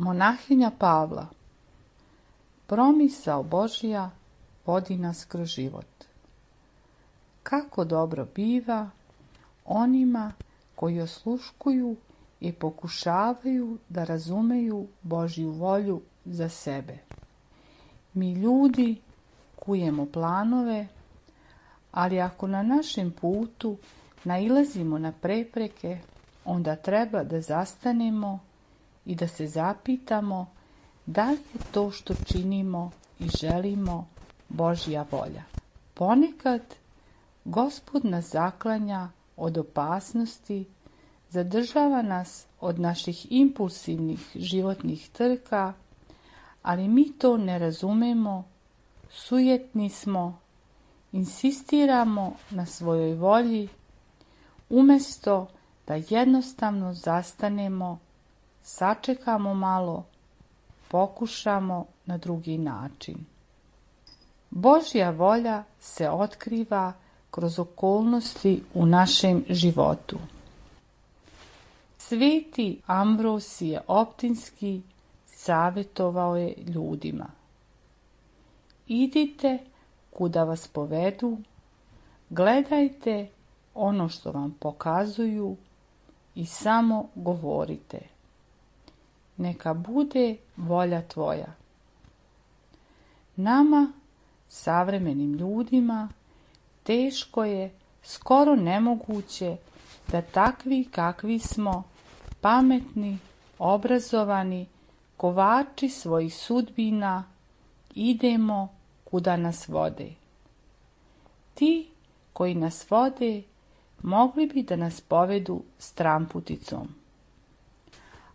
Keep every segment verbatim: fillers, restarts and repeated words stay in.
Monahinja Pavla. Promisao Božja vodi nas kroz život. Kako dobro biva onima koji osluškuju i pokušavaju da razumeju Božju volju za sebe. Mi ljudi kujemo planove, ali ako na našem putu nailazimo na prepreke, onda treba da zastanemo i da se zapitamo da li je to što činimo i želimo Božja volja. Ponekad Gospod nas zaklanja od opasnosti, zadržava nas od naših impulsivnih životnih trka, ali mi to ne razumemo, sujetni smo, insistiramo na svojoj volji, umjesto da jednostavno zastanemo, sačekamo malo, pokušamo na drugi način. Božja volja se otkriva kroz okolnosti u našem životu. Sveti Ambrosije Optinski savjetovao je ljudima: idite kuda vas povedu, gledajte ono što vam pokazuju i samo govorite: neka bude volja tvoja. Nama, savremenim ljudima, teško je, skoro nemoguće, da takvi kakvi smo, pametni, obrazovani, kovači svojih sudbina, idemo kuda nas vode. Ti koji nas vode mogli bi da nas povedu stramputicom.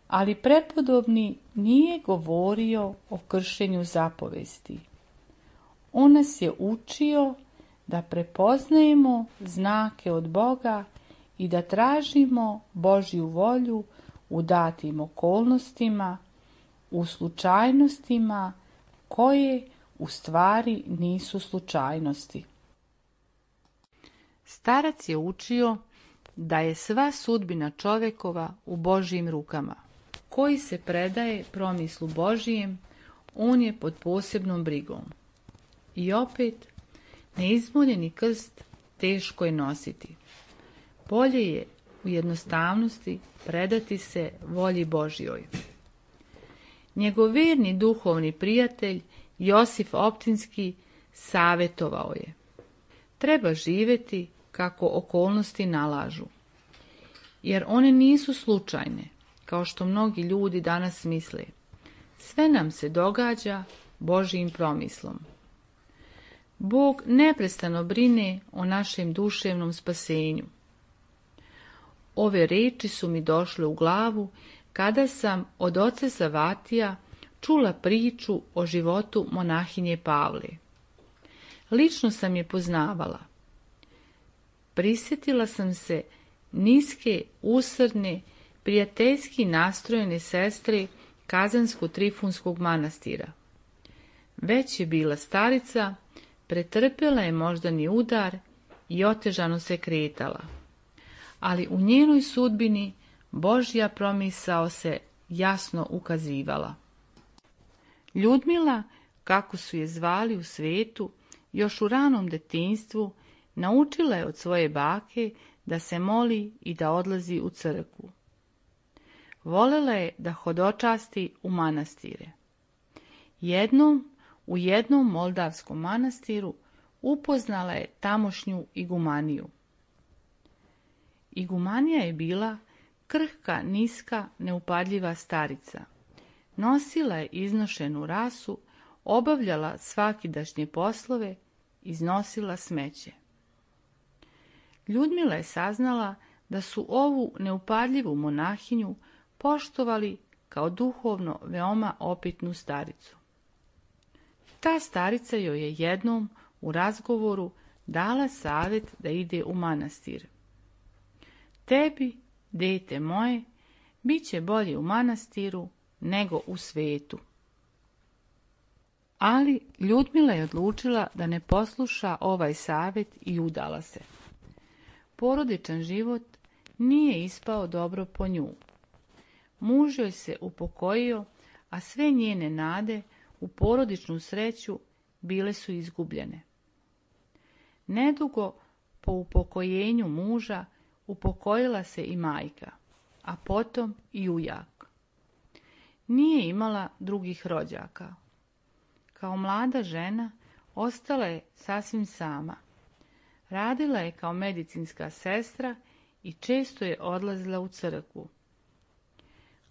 Ali prepodobni nije govorio o kršenju zapovesti. On nas je učio da prepoznajemo znake od Boga i da tražimo Božju volju u datim okolnostima, u slučajnostima koje u stvari nisu slučajnosti. Starac je učio da je sva sudbina čovjekova u Božjim rukama. Koji se predaje promislu Božijem, on je pod posebnom brigom. I opet, neizmoljeni krst teško je nositi. Bolje je u jednostavnosti predati se volji Božjoj. Njegov verni duhovni prijatelj Josif Optinski savjetovao je: treba živjeti kako okolnosti nalažu, jer one nisu slučajne, kao što mnogi ljudi danas misle. Sve nam se događa Božjim promislom. Bog neprestano brine o našem duševnom spasenju. Ove reči su mi došle u glavu kada sam od oca Savatija čula priču o životu monahinje Pavle. Lično sam je poznavala. Prisjetila sam se niske, usrdne, prijateljski nastrojene sestre Kazansko-Trifunskog manastira. Već je bila starica, pretrpjela je moždani udar i otežano se kretala. Ali u njenoj sudbini Božja promisao se jasno ukazivala. Ljudmila, kako su je zvali u svetu, još u ranom detinjstvu naučila je od svoje bake da se moli i da odlazi u crkvu. Volela je da hodočasti u manastire. Jednom, u jednom moldavskom manastiru, upoznala je tamošnju igumaniju. Igumanija je bila krhka, niska, neupadljiva starica. Nosila je iznošenu rasu, obavljala svakidašnje poslove, iznosila smeće. Ljudmila je saznala da su ovu neupadljivu monahinju poštovali kao duhovno veoma opitnu staricu. Ta starica joj je jednom u razgovoru dala savjet da ide u manastir. Tebi, dete moje, bit će bolje u manastiru nego u svetu. Ali Ljudmila je odlučila da ne posluša ovaj savjet i udala se. Porodičan život nije ispao dobro po nju. Muž joj se upokojio, a sve njene nade u porodičnu sreću bile su izgubljene. Nedugo po upokojenju muža upokojila se i majka, a potom i ujak. Nije imala drugih rođaka. Kao mlada žena ostala je sasvim sama. Radila je kao medicinska sestra i često je odlazila u crkvu.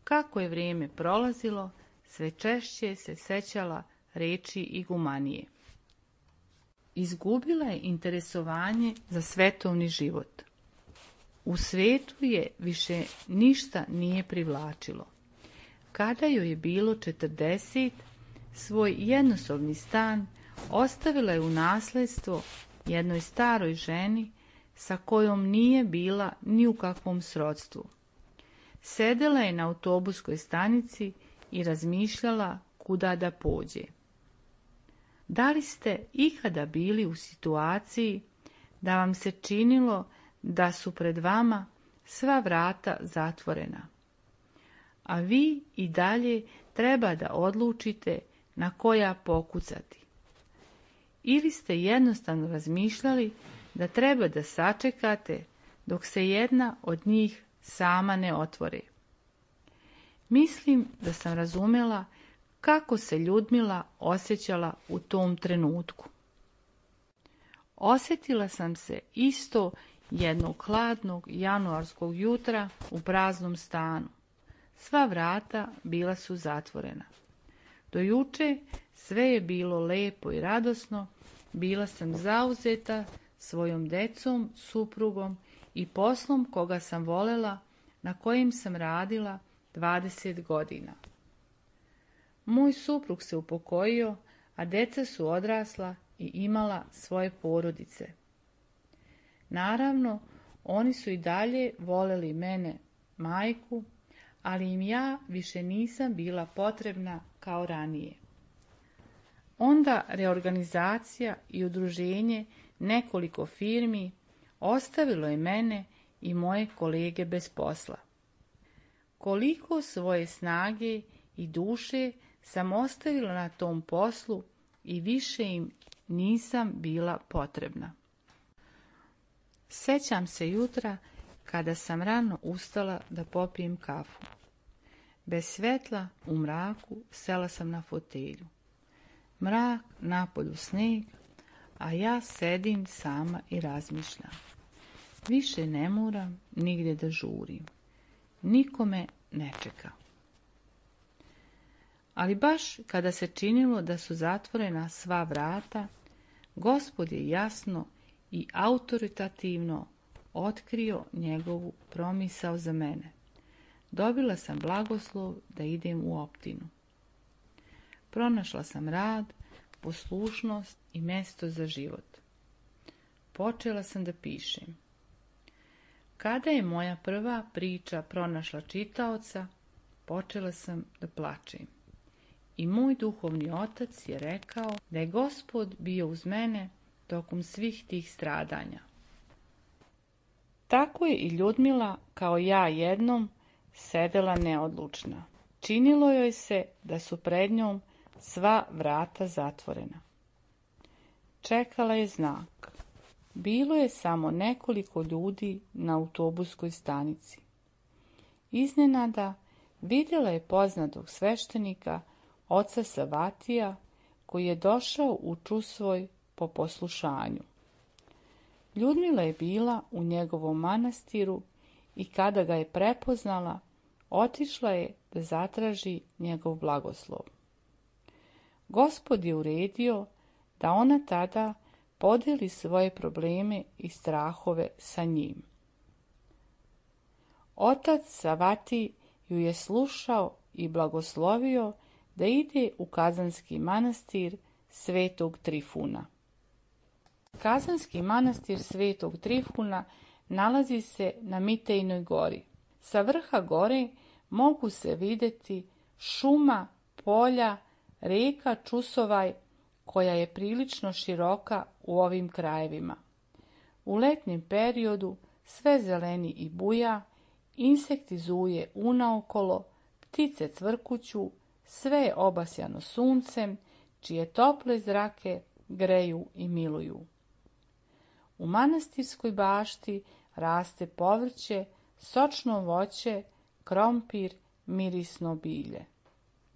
Kako je vrijeme prolazilo, sve češće se sećala reči igumanije. Izgubila je interesovanje za svetovni život. U svetu je više ništa nije privlačilo. Kada joj je bilo četrdeset, svoj jednosobni stan ostavila je u nasljedstvo jednoj staroj ženi sa kojom nije bila ni u kakvom srodstvu. Sedela je na autobuskoj stanici i razmišljala kuda da pođe. Da li ste ikada bili u situaciji da vam se činilo da su pred vama sva vrata zatvorena, a vi i dalje treba da odlučite na koja pokucati? Ili ste jednostavno razmišljali da treba da sačekate dok se jedna od njih sama ne otvori? Mislim da sam razumjela kako se Ljudmila osjećala u tom trenutku. Osjetila sam se isto jednog hladnog januarskog jutra u praznom stanu. Sva vrata bila su zatvorena. Do juče sve je bilo lepo i radosno, bila sam zauzeta svojom decom, suprugom i poslom koga sam volela, na kojem sam radila dvadeset godina. Moj suprug se upokojio, a deca su odrasla i imala svoje porodice. Naravno, oni su i dalje voleli mene, majku, ali im ja više nisam bila potrebna kao ranije. Onda reorganizacija i udruženje nekoliko firmi ostavilo je mene i moje kolege bez posla. Koliko svoje snage i duše sam ostavila na tom poslu i više im nisam bila potrebna. Sećam se jutra kada sam rano ustala da popijem kafu. Bez svetla, u mraku, sela sam na fotelju. Mrak, napolju sneg, a ja sedim sama i razmišljam. Više ne moram nigdje da žurim. Niko me ne čeka. Ali baš kada se činilo da su zatvorena sva vrata, Gospod je jasno i autoritativno otkrio njegovu promisao za mene. Dobila sam blagoslov da idem u optinu. Pronašla sam rad, poslušnost i mjesto za život. Počela sam da pišem. Kada je moja prva priča pronašla čitaoca, počela sam da plačem. I moj duhovni otac je rekao da je Gospod bio uz mene tokom svih tih stradanja. Tako je i Ljudmila, kao ja jednom, sedela neodlučna. Činilo joj se da su pred njom sva vrata zatvorena. Čekala je znak. Bilo je samo nekoliko ljudi na autobuskoj stanici. Iznenada vidjela je poznatog sveštenika, oca Savatija, koji je došao u Čusvoj po poslušanju. Ljudmila je bila u njegovom manastiru i kada ga je prepoznala, otišla je da zatraži njegov blagoslov. Gospod je uredio da ona tada podijeli svoje probleme i strahove sa njim. Otac Savati ju je slušao i blagoslovio da ide u Kazanski manastir Svetog Trifuna. Kazanski manastir Svetog Trifuna nalazi se na Mitejnoj gori. Sa vrha gore mogu se vidjeti šuma, polja, rijeka Čusovaj, koja je prilično široka u ovim krajevima. U letnjem periodu sve zeleni i buja, insekti zuje unaokolo, ptice cvrkuću, sve je obasjano suncem, čije tople zrake greju i miluju. U manastirskoj bašti raste povrće, sočno voće, krompir, mirisno bilje.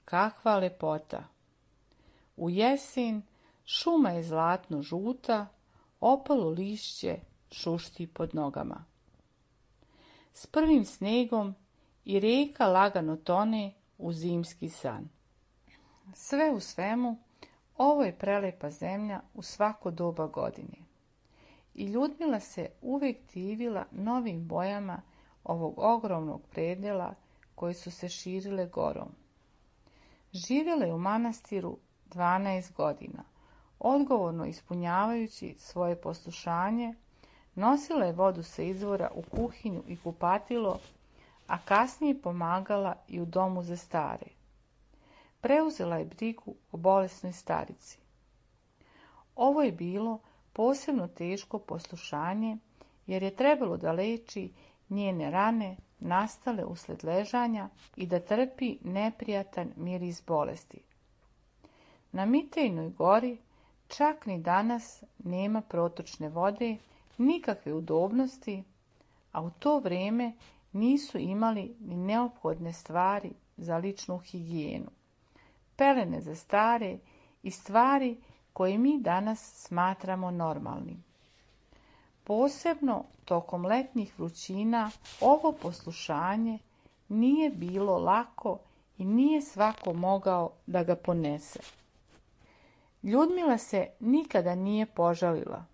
Kakva lepota! U jesen šuma je zlatno žuta, opalo lišće šušti pod nogama. S prvim snegom i rijeka lagano tone u zimski san. Sve u svemu, ovo je prelepa zemlja u svako doba godine. I Ljudmila se uvijek divila novim bojama ovog ogromnog predjela koje su se širile gorom. Živjela je u manastiru dvanaest godina, odgovorno ispunjavajući svoje poslušanje, nosila je vodu sa izvora u kuhinju i kupatilo, a kasnije pomagala i u domu za stare. Preuzela je brigu o bolesnoj starici. Ovo je bilo posebno teško poslušanje, jer je trebalo da leči njene rane nastale usled ležanja i da trpi neprijatan miris bolesti. Na Mitejnoj gori čak ni danas nema protočne vode, nikakve udobnosti, a u to vrijeme nisu imali ni neophodne stvari za ličnu higijenu, pelene za stare i stvari koje mi danas smatramo normalnim. Posebno tokom letnjih vrućina ovo poslušanje nije bilo lako i nije svako mogao da ga ponese. Ljudmila se nikada nije požalila.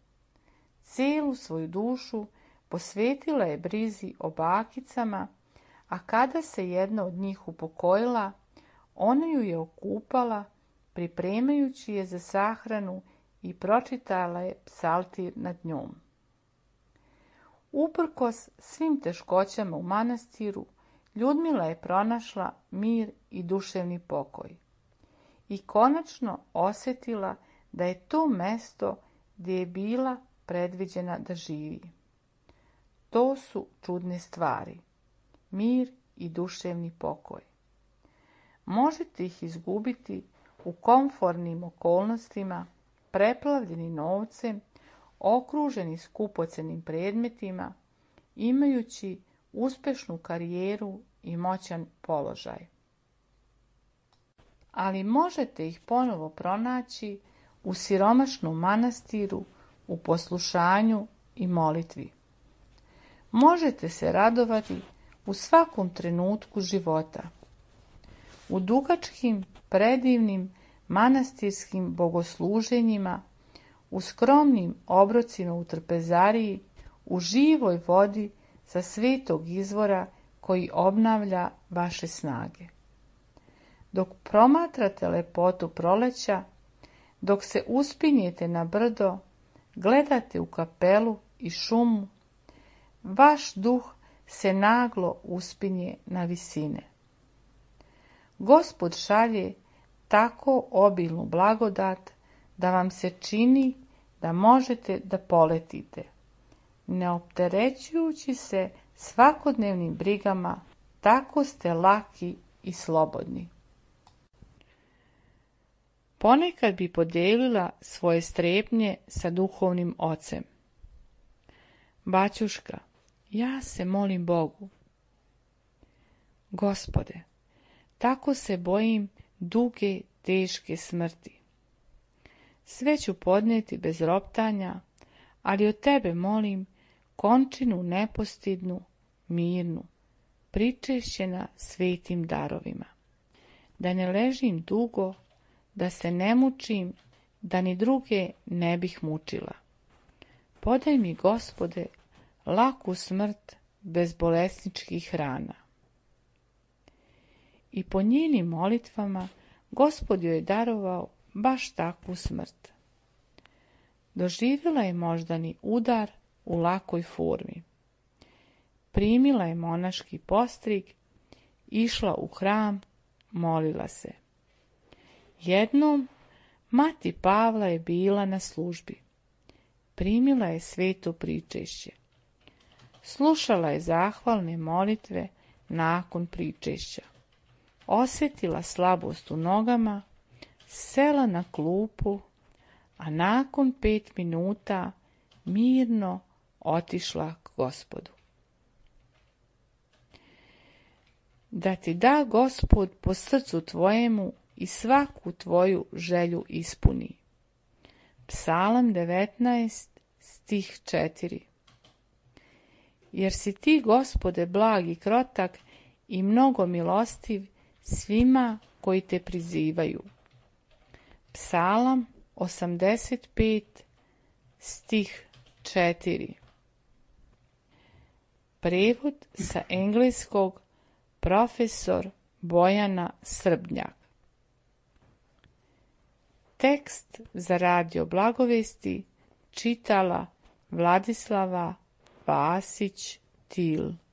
Cijelu svoju dušu posvetila je brizi o bakicama, a kada se jedna od njih upokojila, ona ju je okupala, pripremajući je za sahranu i pročitala je psaltir nad njom. Uprkos svim teškoćama u manastiru, Ljudmila je pronašla mir i duševni pokoj. I konačno osjetila da je to mesto gdje je bila predviđena da živi. To su čudne stvari, mir i duševni pokoj. Možete ih izgubiti u komfornim okolnostima, preplavljeni novcem, okruženi skupocenim predmetima, imajući uspješnu karijeru i moćan položaj. Ali možete ih ponovo pronaći u siromašnom manastiru, u poslušanju i molitvi. Možete se radovati u svakom trenutku života. U dugačkim, predivnim manastirskim bogosluženjima, u skromnim obrocima u trpezariji, u živoj vodi sa svetog izvora koji obnavlja vaše snage. Dok promatrate lepotu proleća, dok se uspinjete na brdo, gledate u kapelu i šumu, vaš duh se naglo uspinje na visine. Gospod šalje tako obilnu blagodat da vam se čini da možete da poletite, ne opterećujući se svakodnevnim brigama, tako ste laki i slobodni. Ponekad bi podijelila svoje strepnje sa duhovnim ocem. Baćuška, ja se molim Bogu. Gospode, tako se bojim duge, teške smrti. Sve ću podnijeti bez roptanja, ali od tebe molim končinu nepostidnu, mirnu, pričešćena svetim darovima. Da ne ležim dugo, da se ne mučim, da ni druge ne bih mučila. Podaj mi, Gospode, laku smrt bez bolesničkih rana. I po njenim molitvama Gospod joj je darovao baš takvu smrt. Doživjela je moždani udar u lakoj formi. Primila je monaški postrig, išla u hram, molila se. Jednom mati Pavla je bila na službi. Primila je sveto pričešće. Slušala je zahvalne molitve nakon pričešća. osjetila slabost u nogama, sela na klupu, a nakon pet minuta mirno otišla k Gospodu. Da ti da Gospod po srcu tvojemu i svaku tvoju želju ispuni. Psalam devetnaest, stih četiri. Jer si ti, Gospode, blag i krotak i mnogo milostiv svima koji te prizivaju. Psalam osamdeset pet, stih četiri. Prevod sa engleskog profesor Bojana Srbnjak. Tekst za radio Blagovesti čitala Vladislava Vasić Til.